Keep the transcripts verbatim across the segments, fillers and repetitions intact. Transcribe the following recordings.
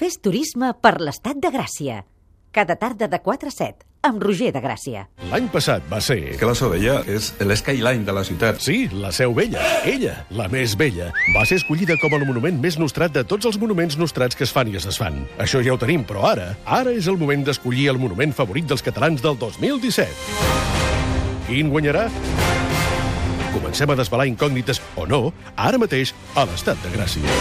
Fes turisme per l'Estat de Gràcia. Cada tarda de quatre a set, amb Roger de Gràcia. L'any passat va ser... Que la Seu Vella és l'skyline de la ciutat. Sí, la Seu Vella. Ella, la més vella, va ser escollida com el monument més nostrat de tots els monuments nostrats que es fan i es desfan. Això ja ho tenim, però ara, ara és el moment d'escollir el monument favorit dels catalans del dos mil disset. Quin guanyarà? Comencem a desvelar incògnites, o no, ara mateix, a l'Estat de Gràcia.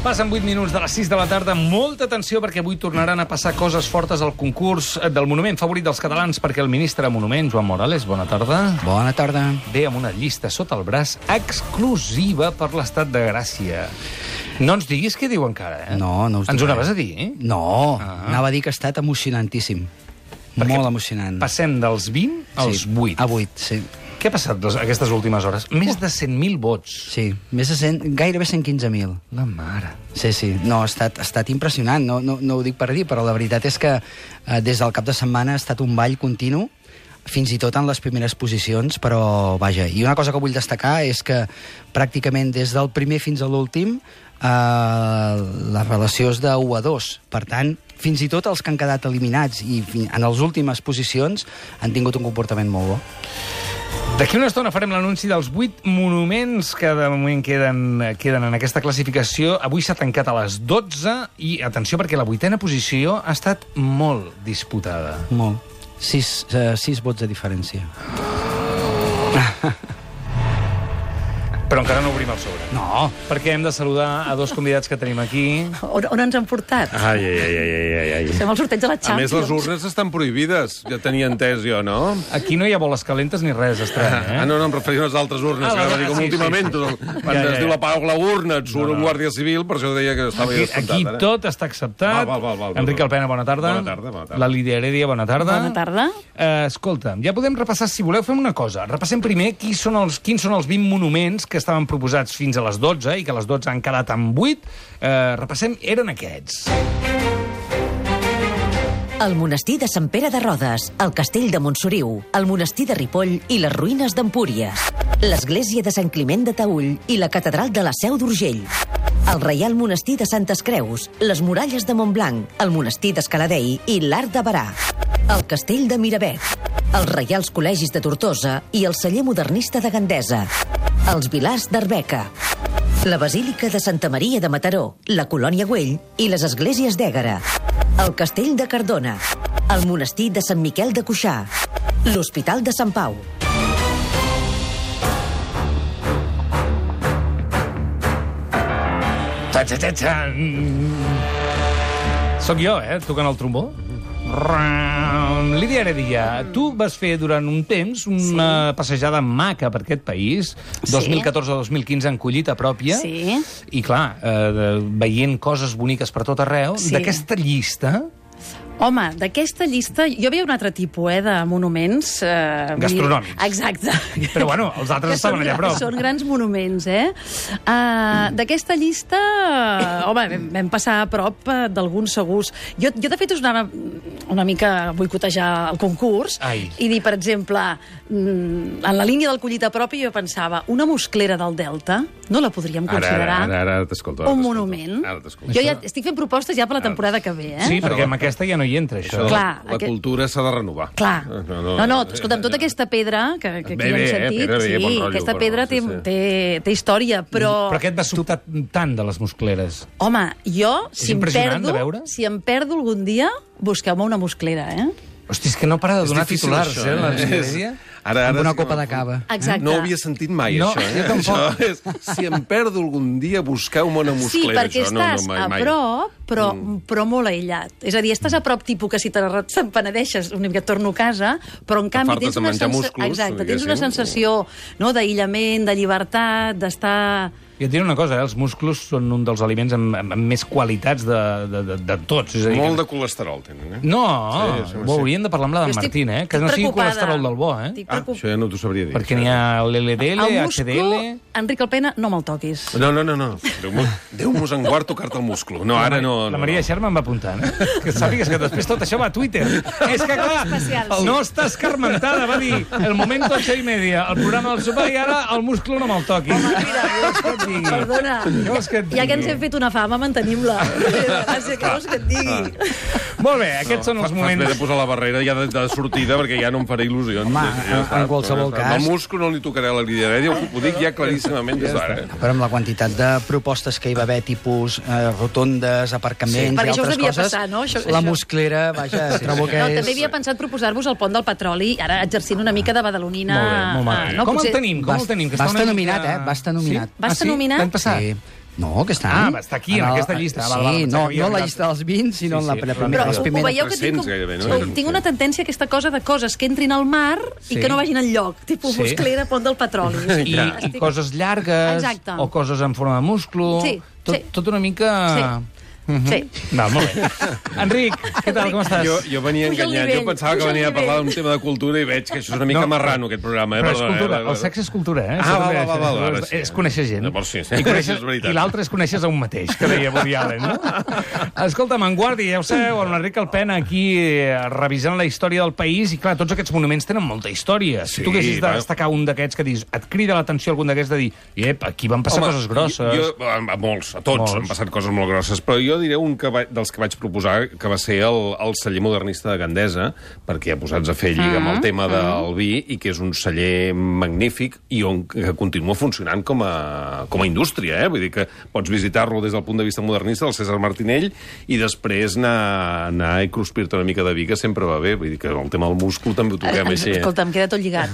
Passen vuit minuts de les sis de la tarda. Molta atenció perquè avui tornaran a passar coses fortes al concurs del monument favorit dels catalans, perquè el ministre de Monument, Joan Morales, bona tarda. Bona tarda. Ve amb una llista sota el braç exclusiva per l'Estat de Gràcia. No ens diguis què diu encara, eh? No, no us Ens ho dic anaves res. a dir, eh? No, Ah. anava a dir que ha estat emocionantíssim. Perquè Molt emocionant. Passem dels vint als Sí, vuit. A vuit, sí. Què ha passat les- aquestes últimes hores? Més de cent mil vots. Sí, més de cent, gairebé cent quinze mil. La mare. Sí, sí, no, ha estat, ha estat impressionant, no, no, no ho dic per dir, però la veritat és que eh, des del cap de setmana ha estat un ball continu, fins i tot en les primeres posicions, però vaja. I una cosa que vull destacar és que pràcticament des del primer fins a l'últim eh, la relació és de u a dos. Per tant, fins i tot els que han quedat eliminats i fi- en les últimes posicions han tingut un comportament molt bo. D'aquí una estona farem l'anunci dels vuit monuments que de moment queden, queden en aquesta classificació. Avui s'ha tancat a les dotze i, atenció, perquè la vuitena posició ha estat molt disputada. Molt. Sis, eh, sis vots de diferència. Però encara no obrim el sobre. No. Perquè hem de saludar a dos convidats que tenim aquí. On, on ens han portat? Ai, ai, ai, ai, ai, ai. Fem el sorteig de la A Champions. més, les urnes estan prohibides. Ja tenia entès jo, no? Aquí no hi ha boles calentes ni res estrany, eh? Ah, no, no, em referia a les altres urnes. Ah, Ah, la- que dir com sí, últimament, sí, sí. tot el- quan Ja, ja, es diu ja. la pau la urna, et surt No, no. un guàrdia civil, per això deia que estava Aquí, ja aquí descomptat. tot està acceptat. Val, val, val, val, val. Enric Alpena, bona tarda. Bona tarda, bona tarda. La Lídia Heredia, bona tarda. Bona tarda. Eh, escolta, ja podem repassar, si voleu, fem una cosa. Repassem primer qui són els, quins són els vint monuments que estaven proposats fins a les dotze i que a les dotze han quedat en vuit. Eh, repassem, eren aquests. El monestir de Sant Pere de Rodes, el castell de Montsoriu, el monestir de Ripoll i les ruïnes d'Empúries, l'església de Sant Climent de Taüll i la catedral de la Seu d'Urgell, el Reial Monestir de Santes Creus, les muralles de Montblanc, el monestir d'Escaladei i l'Arc de Barà, el castell de Miravet, els Reials Col·legis de Tortosa i el celler modernista de Gandesa, els Vilars d'Arbeca, la Basílica de Santa Maria de Mataró, la Colònia Güell i les esglésies d'Ègara, el castell de Cardona, el monestir de Sant Miquel de Cuixà, l'Hospital de Sant Pau. Txa, txa, txa, txa. Soc jo, eh, tocant el trombó. Lídia Heredia, tu vas fer durant un temps una sí. passejada maca per aquest país, dos mil catorze a dos mil quinze en collita pròpia, Sí. i clar, eh, veient coses boniques per tot arreu. Sí. D'aquesta llista... Home, d'aquesta llista... Jo veia un altre tipus, eh, de monuments... Eh, vull dir- Gastronòmics. Exacte. Però, bueno, els altres Que estaven són- allà a prop. Són grans monuments, eh? Uh, d'aquesta llista... Home, vam, vam passar a prop eh, d'alguns segurs. Jo, jo, de fet, us anava una mica a boicotejar el concurs Ai. i dir, per exemple, mm, en la línia del collit a prop, jo pensava, una musclera del Delta no la podríem Ara, considerar ara, ara, ara t'escolto. ara un t'escolto. monument. Ara t'escolto. Jo ja estic fent propostes ja per la temporada que ve, eh? Sí, perquè amb aquesta ja no hi entra, això. Això, Clar, la aquest- cultura s'ha de renovar. Clar. No, No, no, escolta'm, tota aquesta pedra que, que aquí Bé, hem bé, eh, sentit, pedra bé, sí, bon rotllo, aquesta però pedra sí, té, sí. té, té història, però... Però què et va sobtar tant de les muscleres? Home, jo, És si em, impressionant perdo, de veure. si em perdo algun dia, busqueu-me una musclera, eh? Hosti, és que no para de És donar difícil, titulars, això, eh, la eh? Lídia Heredia. Ara, Amb ara una sí que copa de m'ha- cava. Exacte. No ho havia sentit mai, No, això. Eh? jo tampoc. Això és, si em perdo algun dia, busqueu-me una Sí, musclera. perquè això. estàs no, no, mai, a mai. prop, però, mm. però molt aïllat. És a dir, estàs a prop tipus que si te te'n penedeixes una mica et torno a casa, però en canvi fartes tens de una, menjar sensa... músculs, Exacte, tens diguéssim. una sensació no, d'aïllament, de llibertat, d'estar I et diré una cosa, eh? Els músculs són un dels aliments amb, amb, amb més qualitats de, de, de, de tots. És a dir, Molt que... de colesterol tenen, eh? No, Sí, sí, ho sí. hauríem de parlar amb la Jo d'en estic- Martín, eh? Que estic no sigui preocupada. colesterol del bo, eh? Estic Ah, preocup- això ja no t'ho sabria dir. Perquè n'hi ha l'L D L, El H D múscul, L... Enric Alpena, no me'l toquis. No, no, no, no. Déu-mos Déu en guard tocar-te el múscul. No, ara no... La no, Maria no. Xerma em va apuntant, eh? Que sàpigues que després tot això va a Twitter. És que, clar, especial, sí. no està escarmentada, va dir el momento ocho y media, el programa del sopar, i ara el múscul no me'l toqui. Què vols que et digui? Perdona, Què vols que et digui? ja que ens hem fet una fama, mantenim-la. Gràcies, què vols que et digui? Molt bé, aquests són els Fas bé de moments... posar la barrera ja de, de sortida, perquè ja no em faré il·lusions. Home, Ja- ja en- està. en qualsevol Ja està. cas- El múscul no li tocaré la lideredia, ho, ho dic ja claríssimament des d'ara. Eh? Però amb la quantitat de propostes que hi va haver, tipus eh, rotondes, aparcaments Sí, perquè i això us altres devia coses, passar, no? Això- la això. musclera, vaja, trobo que No, és... també havia pensat proposar-vos el pont del petroli, ara exercint una mica de badalonina... Molt bé, molt ah, bé. no, Com potser- el tenim? Com Va, el tenim? Que va està estar una nominat, mica- eh? Va estar nominat. Va Ah, estar sí? nominat? L'any passat? Sí. No, aquest any. Ah, va estar aquí, en el- aquesta llista. Sí, Val, val, pensava no, que havia no la arribat. llista dels vint, sinó Sí, en la, sí, la però primera, Però les ho, ho primeres. veieu que tinc, tres-cents gairebé, no? com, tinc una tendència a aquesta cosa de coses que entrin al mar Sí. i que no vagin enlloc, tipus Sí. musclera, pont del petroli. I, i coses llargues, Exacte. o coses en forma de múscul... Sí, tot, sí. tot una mica... Sí. Va, molt bé. Enric, què tal, com estàs? Jo, jo venia Puja el enganyat, nivell, jo pensava que puja el venia a parlar nivell. d'un tema de cultura i veig que això és una mica No, marrano, aquest programa. Eh? Però és Perdona, cultura, eh? el sexe és cultura, eh? Ah, Això va, també va, va, va, és- ara sí. És conèixer gent. Llavors sí, sí. I, coneixes, És veritat. i l'altre és coneixes a un mateix, que deia Woody Allen, no? Escolta'm, en Guardi, ja ho sabeu, amb l'Enric Alpena aquí eh, revisant la història del país, i clar, tots aquests monuments tenen molta història. Si Sí, tu haguessis de va. destacar un d'aquests que dius, et crida l'atenció algun d'aquests de dir, iep, aquí van passar Home, coses grosses. Jo, a, a molts, a tots Molts. han passat coses molt grosses, però jo diré un que va, dels que vaig proposar, que va ser el, el celler modernista de Gandesa, perquè ja posats a fer lliga amb el tema del vi, i que és un celler magnífic i on que continua funcionant com a, com a indústria, eh? Vull dir que pots visitar-lo des del punt de vista modernista, del César Martinell, i després anar, anar i cruspir-te una mica de vi, que sempre va bé. Vull dir que el tema del múscul també ho toquem així. Eh? Escolta, em queda tot lligat.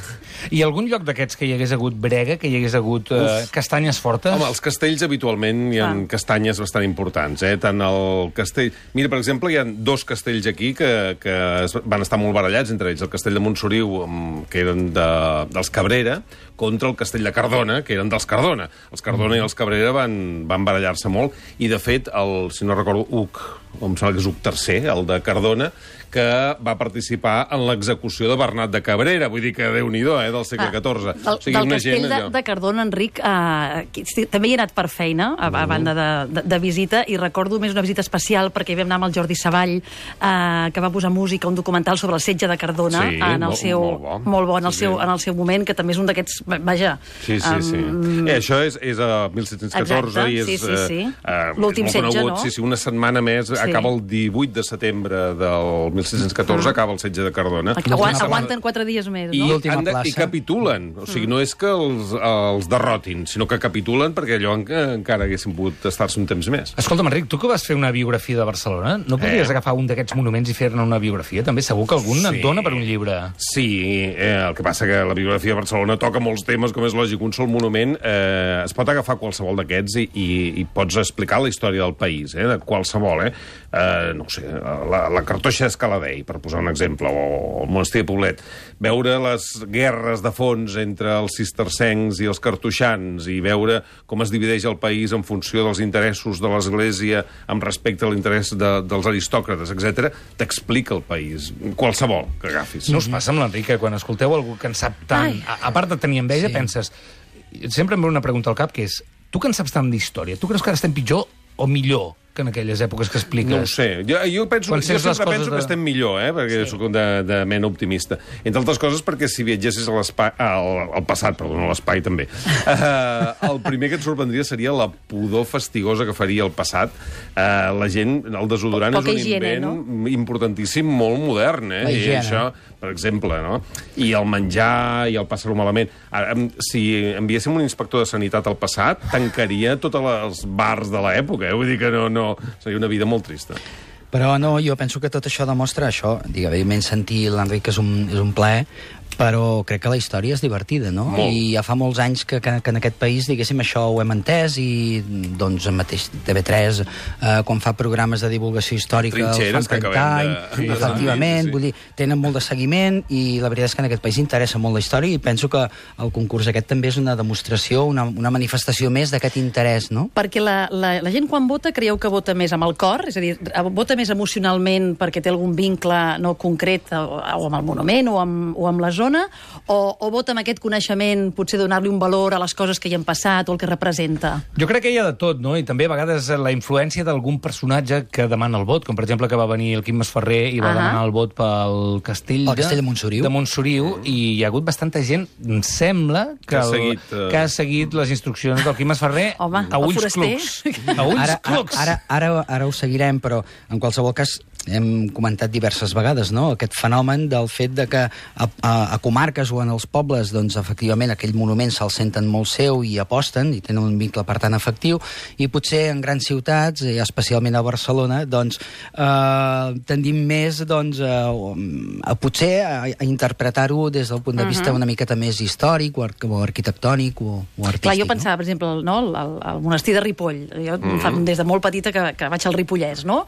I algun lloc d'aquests que hi hagués hagut brega, que hi hagués hagut eh, castanyes fortes? Home, els castells habitualment hi ha Ah. castanyes bastant importants, eh? Tant el castell... Mira, per exemple, hi ha dos castells aquí que, que es van estar molt barallats, entre ells el castell de Montsoriu, amb- que eren de, dels Cabrera, contra el castell de Cardona, que eren dels Cardona. Els Cardona i els Cabrera van, van barallar-se molt, i de fet, el, si no recordo, Uc, em sembla que és Uc tercer, el de Cardona, que va participar en l'execució de Bernat de Cabrera, vull dir que Déu-n'hi-do, eh, del segle catorze. Del, del castell de, de Cardona, Enric, eh, qui- sí, també hi he anat per feina, a, a banda de, de, de visita, i recordo més una visita especial perquè hi vam anar amb el Jordi Savall, eh, que va posar música a un documental sobre el setge de Cardona, Sí, en el molt- seu, molt bo. molt bo en, el Sí, seu, sí. en el seu moment, que també és un d'aquests, vaja... Sí, sí, sí. em, Eh, això és, és a disset deu quatre Exacte, i és... sí, sí, sí. eh, L'últim és molt setge, conegut. no? Sí, sí, una setmana més, Sí. acaba el divuit de setembre del disset deu quatre, acaba el setge de Cardona. Aguant, aguanten quatre dies més, I, no? l'última han de, I plaça. capitulen. O sigui, no és que els, els derrotin, sinó que capitulen perquè allò en, encara haguessin pogut estar-se un temps més. Escolta'm, Enric, tu que vas fer una biografia de Barcelona, no podries Eh. agafar un d'aquests monuments i fer-ne una biografia? També segur que algun Sí. et dona per un llibre. Sí, eh, el que passa que la biografia de Barcelona toca molts temes, com és lògic. Un sol monument eh, es pot agafar qualsevol d'aquests i, i, i pots explicar la història del país, eh, de qualsevol, eh? eh no ho sé, la, la cartoixa d'Escaladei, per posar un exemple, o el monestir de Poblet. Veure les guerres de fons entre els cistercencs i els cartoixans i veure com es divideix el país en funció dels interessos de l'Església amb respecte a l'interès de, dels aristòcrates, etcètera, t'explica el país, qualsevol que agafis. No us passa amb l'Enric, que quan escolteu algú que en sap tant, Ai. a, a part de tenir enveja, Sí. penses... Sempre em ve una pregunta al cap, que és, tu que en saps tant d'història, tu creus que ara estem pitjor o millor que en aquelles èpoques que expliques? No ho sé. Jo, jo, penso, Quan jo sents les sempre coses penso de- que estem millor, eh? perquè sí. Soc de, de mena optimista. Entre altres coses perquè si viatgessis a l'espai... Al, al passat, perdó, no a l'espai també. Uh, el primer que et sorprendria seria la pudor fastigosa que faria el passat. Uh, la gent, el desodorant Poca és un higiene, invent no? importantíssim, molt modern. Eh? La I higiene. això, per exemple, no? I el menjar i el passar-ho malament. Ara, em- si enviéssim un inspector de sanitat al passat, tancaria tots els bars de l'època. Eh? Vull dir que no, no... Seria una vida molt trista. Però no, jo penso que tot això demostra això. Digue, evidentment, sentir l'Enric és un, és un plaer, però crec que la història és divertida, no? Molt. I ja fa molts anys que, que, que en aquest país, diguéssim, això ho hem entès i, doncs, el mateix T V tres, eh, quan fa programes de divulgació històrica, Trinxeres, els fan que trenta acabem anys, de- efectivament, Sí, sí. vull dir, tenen molt de seguiment i la veritat és que en aquest país interessa molt la història i penso que el concurs aquest també és una demostració, una, una manifestació més d'aquest interès, no? Perquè la, la, la gent quan vota creieu que vota més amb el cor? És a dir, vota més emocionalment perquè té algun vincle no concret o, o amb el monument o amb, o amb la zona? O, o vota amb aquest coneixement, potser donar-li un valor a les coses que hi han passat o el que representa? Jo crec que hi ha de tot, no? I també a vegades la influència d'algun personatge que demana el vot, com per exemple que va venir el Quim Masferrer i va Ahà. demanar el vot pel castell, El castell de Montsoriu. de Montsoriu, i hi ha hagut bastanta gent, em sembla, que, Que ha el, seguit, eh, que ha seguit les instruccions del Quim Masferrer Home, a el ulls foraster. clucs. A ulls Ara, clucs. ara, ara, ara ho seguirem, però en qualsevol cas hem comentat diverses vegades, no?, aquest fenomen del fet de que a, a, a comarques o en els pobles, doncs, efectivament, aquell monument se'l senten molt seu i aposten, i tenen un vincle, per tant, efectiu, i potser en grans ciutats, i especialment a Barcelona, doncs, eh, tendim més, doncs, a, a potser a, a interpretar-ho des del punt de vista una miqueta més històric o, ar o arquitectònic o, o artístic. Clar, jo no? pensava, per exemple, no, el, el, el monestir de Ripoll. Jo mm -hmm. fa, des de molt petita que, que vaig al Ripollès, no?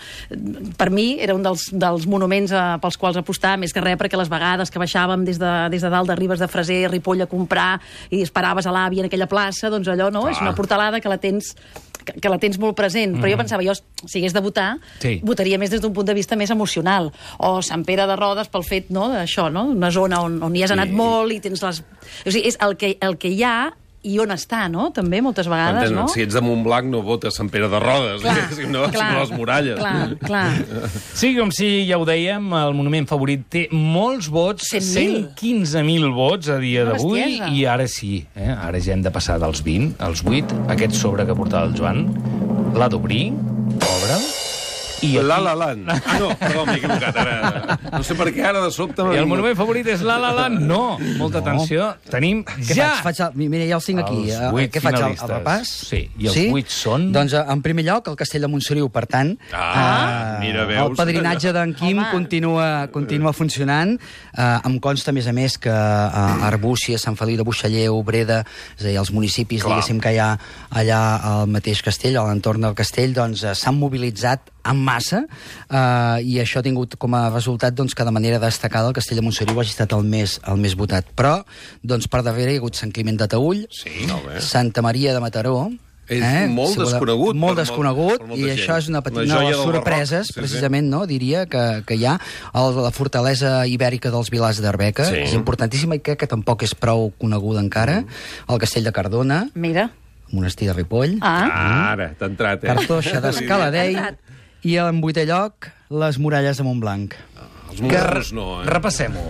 Per mi era un dels, dels monuments eh, pels quals apostar, més que res, perquè les vegades que baixàvem des de, des de dalt de Ribes de Freser, Ripoll, a comprar, i esperaves a l'àvia en aquella plaça, doncs allò, no? Clar. És una portalada que la tens que, que la tens molt present, mm. però jo pensava, jo, si hagués de votar, Sí. votaria més des d'un punt de vista més emocional. O Sant Pere de Rodes pel fet, no?, d'això, no?, una zona on, on hi has anat Sí. molt i tens les... O sigui, és el que, el que hi ha i on està, no?, també, moltes vegades, Entens? no? Si ets de Montblanc no votes Sant Pere de Rodes, diguéssim, no? sinó les muralles. Clar, clar. Sí, com si ja ho dèiem, el monument favorit té molts vots, cent mil. cent quinze mil vots a dia Una d'avui, bestiesa. i ara sí, eh? ara ja hem de passar dels vint als vuit, aquest sobre que portava el Joan, l'ha d'obrir, obre'l, i aquí... La La Land. Ah, no, perdó, m'he equivocat. Ara, no sé per què ara de sobte... I el monument favorit és La La Land? No, molta atenció. Tenim Què ja... faig? faig el, mira, ja els tinc aquí. Els Eh, vuit Què faig, el, el finalistes. repàs? Sí, i els vuit són? Doncs, eh, en primer lloc, el Castell de Montsoriu, per tant, Ah, mira, veus? el padrinatge d'en Quim Home. continua, continua funcionant. Eh, em consta, a més a més, que eh, Arbúcies, Sant Feliu de Buixalleu, Breda, és a dir, els municipis, Clar. diguéssim, que hi ha allà al mateix castell, a l'entorn del castell, doncs eh, s'han mobilitzat en massa, eh, i això ha tingut com a resultat, doncs, que de manera destacada el Castell de Montsoriu hagi estat el més, el més votat. Però, doncs, per darrere hi ha hagut Sant Climent de Taüll, Sí, no, bé. Santa Maria de Mataró. És molt Si voleu- desconegut Molt per desconegut, molt- per molta i gent. això és una, petit, Una una de joia les del barroc. sorpreses, Sí, sí. precisament, no, diria, que, que hi ha. El, la fortalesa ibèrica dels Vilars d'Arbeca, Sí. és importantíssima i crec que tampoc és prou coneguda encara. Mm. El Castell de Cardona, Mira. Monestir de Ripoll, Ah, Ara, t'ha entrat, eh? Cartoixa d'Escaladei, Entrat. i en vuitè lloc, les muralles de Montblanc. Els morros no, eh? Repassem-ho.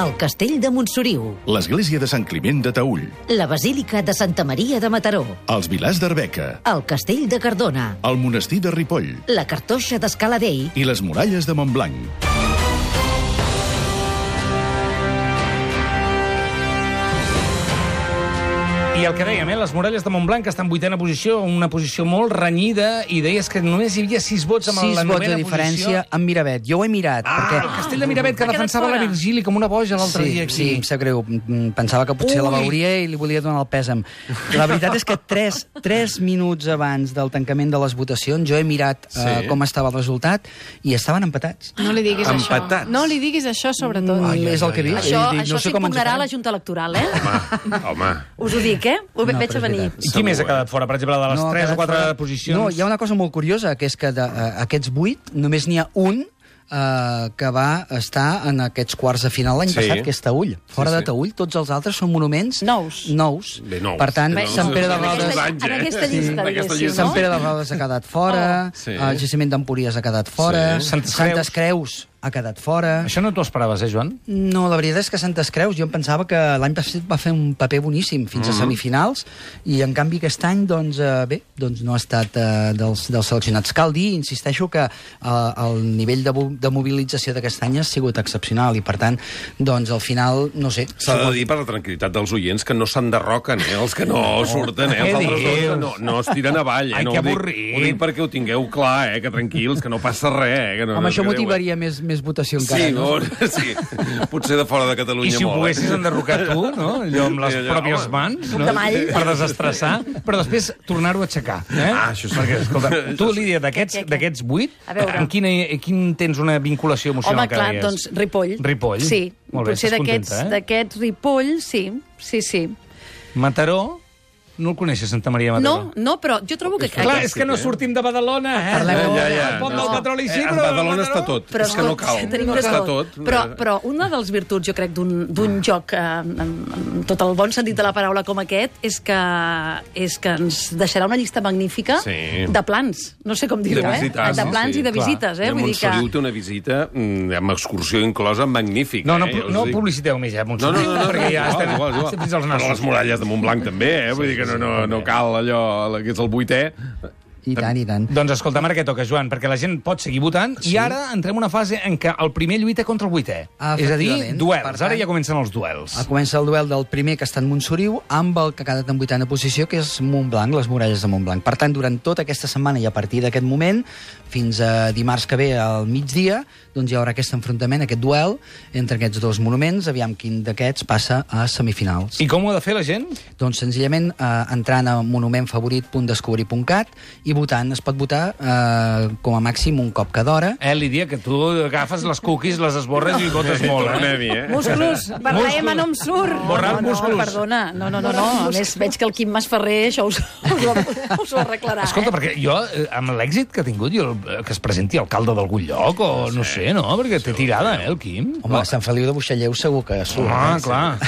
El castell de Montsoriu, L'església de Sant Climent de Taüll, la basílica de Santa Maria de Mataró, els Vilars d'Arbeca, el castell de Cardona, el monestir de Ripoll la cartoixa d'Escaladei, i les muralles de Montblanc. I el que dèiem, eh? Les muralles de Montblanc estan en vuitena posició, una posició molt renyida, i deies que només hi havia sis vots amb Sis la vots novena de diferència posició. amb Miravet. Jo ho he mirat, Ah, perquè... el castell de Miravet, que S'ha quedat defensava la fora. Virgili com una boja l'altre Sí, dia aquí. sí, em sap greu. Mm, Pensava que potser la Ui. veuria i li volia donar el pèsam. La veritat és que tres, tres minuts abans del tancament de les votacions jo he mirat Sí. uh, com estava el resultat i estaven empatats. No li diguis Empatats. això. No li diguis això, sobretot. Mm, és el que he vist. això, He dit, això no sé com ens ho s'impugnarà a farem. la Junta Electoral, eh? Home, home. Us ho dic, eh? Ho No, veig però a és venir. veritat. I qui més ha quedat fora? Per exemple, de les ha tres o quedat quatre fora. posicions... No, hi ha una cosa molt curiosa, que és que d'aquests vuit només n'hi ha un Uh, que va estar en aquests quarts de final l'any Sí. passat, que és Taüll. Fora Sí, sí. de Taüll, tots els altres són monuments Nous. nous. Bé, nous. Per tant, Bé, Sant nous. Pere de En Rodes... aquesta- En eh? aquesta Sí. llista, En aquesta diguéssim, llista. no? Sant Pere de Rodes ha quedat fora, Oh, sí. el Jaciment d'Empúries ha quedat fora, Sí. Santes Santes Creus ha quedat fora... Això no t'ho esperaves, eh, Joan? No, la veritat és que Santes Creus jo em pensava que l'any passat va fer un paper boníssim fins Mm-hmm. a semifinals i en canvi aquest any, doncs, eh, bé, doncs no ha estat eh, dels, dels seleccionats. Cal dir, insisteixo, que eh, el nivell de, mo- de mobilització d'aquest any ha sigut excepcional i per tant, doncs al final, no sé... S'ha de dir per la tranquil·litat dels oients que no s'enderroquen, eh? Els que no surten, eh? Els Què altres dius? dos no, no es tiren avall, eh? Ai, no que ho dic- avorrit. Ho dic perquè ho tingueu clar, eh? Que tranquils, que no passa res, eh? Que no, Home, no això us quedeu, eh? motivaria més, més votació encara, Sí, no? no? Sí, potser de fora de Catalunya I si ho molt. poguessis enderrocar tu, no? Allò amb les Allò, pròpies home. mans, Suc no? de mall. Per desestressar, però després tornar-ho a aixecar. Eh? Ah, això sí. Perquè, escolta, tu, Lídia, d'aquests Què, què, què? d'aquests vuit, A veure. amb quina, quin tens una vinculació emocional Home, clar, que deies? doncs Ripoll. Ripoll. Sí, Molt bé, potser estàs d'aquests contenta, eh? d'aquests Ripoll, sí, sí, sí. Mataró, no el coneixes, Santa Maria de Mataró? No, no, però jo trobo que... Clar, és que no sortim de Badalona, eh? Parlem- Ja, ja. El pont No. del petroli sí, Eh, però... a Badalona Mataró- està tot. Però És que no cal. tenim No de està tot. tot. Però, però una dels virtuts, jo crec, d'un d'un joc eh, amb, amb tot el bon sentit de la paraula com aquest és que, és que ens deixarà una llista magnífica Sí. de plans. No sé com dir-ho, De eh? visites, De no? plans Sí, i de clar. visites, eh? I a Vull dir que... Montsoriu té una visita mm, amb excursió inclosa magnífica. No, no, eh? Ja us no dic. publiciteu més, ja, No, Montsoriu, no, no, no, perquè ja igual, estem, igual, igual. estem fins als Però nassos. les muralles de Montblanc també, eh? Vull dir que no, no, no cal allò, que és el vuitè. I tant, i tant. Doncs escolta'm, ara què toca, Joan? Perquè la gent pot seguir votant sí. i ara entrem en una fase en què el primer lluita contra el vuitè. Ah, és a dir, efectivament. duels. Per tant, Ara ja comencen els duels. A comença el duel del primer, que està en Montsoriu, amb el que ha quedat en vuitena posició, que és Montblanc, les muralles de Montblanc. Per tant, durant tota aquesta setmana i a partir d'aquest moment, fins a dimarts que ve al migdia, doncs hi haurà aquest enfrontament, aquest duel entre aquests dos monuments, aviam quin d'aquests passa a semifinals. I com ho ha de fer la gent? Doncs senzillament eh, entrant a monumentfavorit punt descobrir punt cat i votant. Es pot votar eh, com a màxim un cop cada hora. Eh, Lídia, que tu agafes les cookies, les esborres i votes molt, eh? Tornem-hi, eh? Músculos, per la M no em surt. Borrar no, no, músculs. perdona. No, no, no, no. A més, veig que el Quim Masferrer això us, us, ho, us ho arreglarà, Escolta, eh? perquè jo, eh, amb l'èxit que ha tingut, jo, eh, que es presenti alcalde d'algun lloc, o no sé, no? Perquè té tirada, eh, el Quim? Home, a Sant Feliu de Buixalleu segur que surt. Home, eh? clar.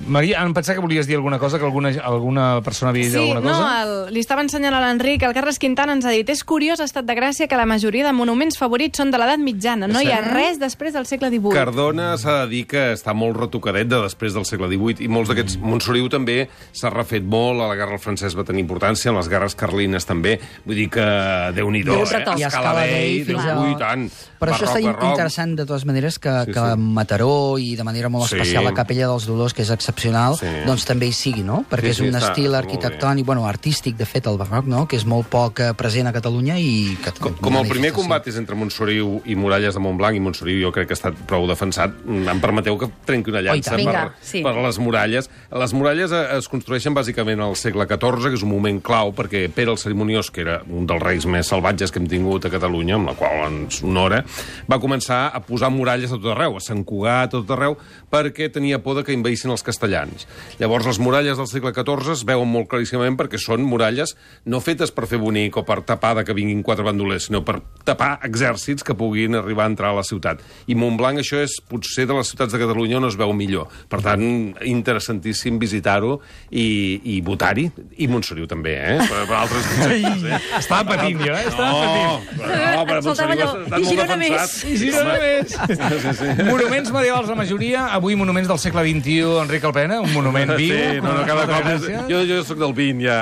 Maria, em pensava que volies dir alguna cosa, que alguna, alguna persona havia dit Sí, alguna no, cosa. el, li estava ensenyant a l'Enric, el Carles Quintana ens ha dit és curiós, ha estat de gràcia que la majoria de monuments favorits són de l'edat mitjana, no hi ha res després del segle divuit. Cardona s'ha de dir que està molt retocadet de després del segle divuit i molts d'aquests... Montsoriu també s'ha refet molt, a la guerra del francès va tenir importància, en les guerres carlines també. Vull dir que Déu-n'hi-do, Déu eh? retoc. I a Escala Escala Dei, Dei fins a- Déu, i tant. Però això Barroc, està barroc. interessant, de totes maneres, que, Sí, que sí. Mataró i de manera molt Sí. especial la Capella dels Dolors, que és excepcional, Sí. doncs també hi sigui, no? Perquè Sí, sí, és un està estil molt arquitectònic, bueno, artístic, de fet, el barroc, no? Que és molt poc eh, present a Catalunya i... Que, Com, com el primer combat és entre Montsoriu i Muralles de Montblanc, i Montsoriu jo crec que ha estat prou defensat, em permeteu que trenqui una llança tant. Vinga, per, sí. per les muralles. Les muralles eh, es construeixen bàsicament al segle catorze, que és un moment clau, perquè Pere el Cerimoniós, que era un dels reis més salvatges que hem tingut a Catalunya, amb la qual ens honora, va començar a posar muralles a tot arreu, a Sant Cugat, a tot arreu, perquè tenia por de que envaïssin els castellans. Llavors, les muralles del segle catorze es veuen molt claríssimament perquè són muralles no fetes per fer bonic o per tapar de que vinguin quatre bandolers, sinó per tapar exèrcits que puguin arribar a entrar a la ciutat. I Montblanc, això és potser de les ciutats de Catalunya on es veu millor. Per tant, interessantíssim visitar-ho i, i votar-hi. I Montsoriu també, eh? Per, per altres conceptes, eh? Estava patint jo, eh? Estava patint. No, no, però Faltava Montsoriu allò, ha estat i molt Girona defensat. I si no només. Sí, sí. Monuments medievals la majoria, avui monuments del segle vint-i-u, Enric Alpena, un monument viu. Sí, no, no, cada cop... És... Gràcies. Jo, jo sóc del vint, ja.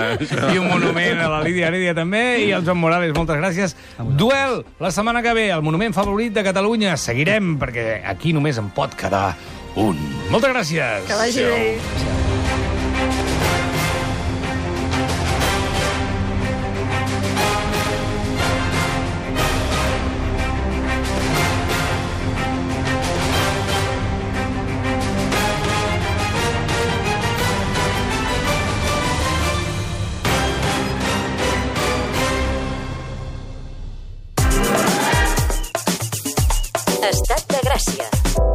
I un monument a la Lídia Heredia també, i al Joan Morales, moltes gràcies. Duel, la setmana que ve, el monument favorit de Catalunya. Seguirem, perquè aquí només en pot quedar un. Moltes gràcies. Que vagi bé. Estat de Gràcia.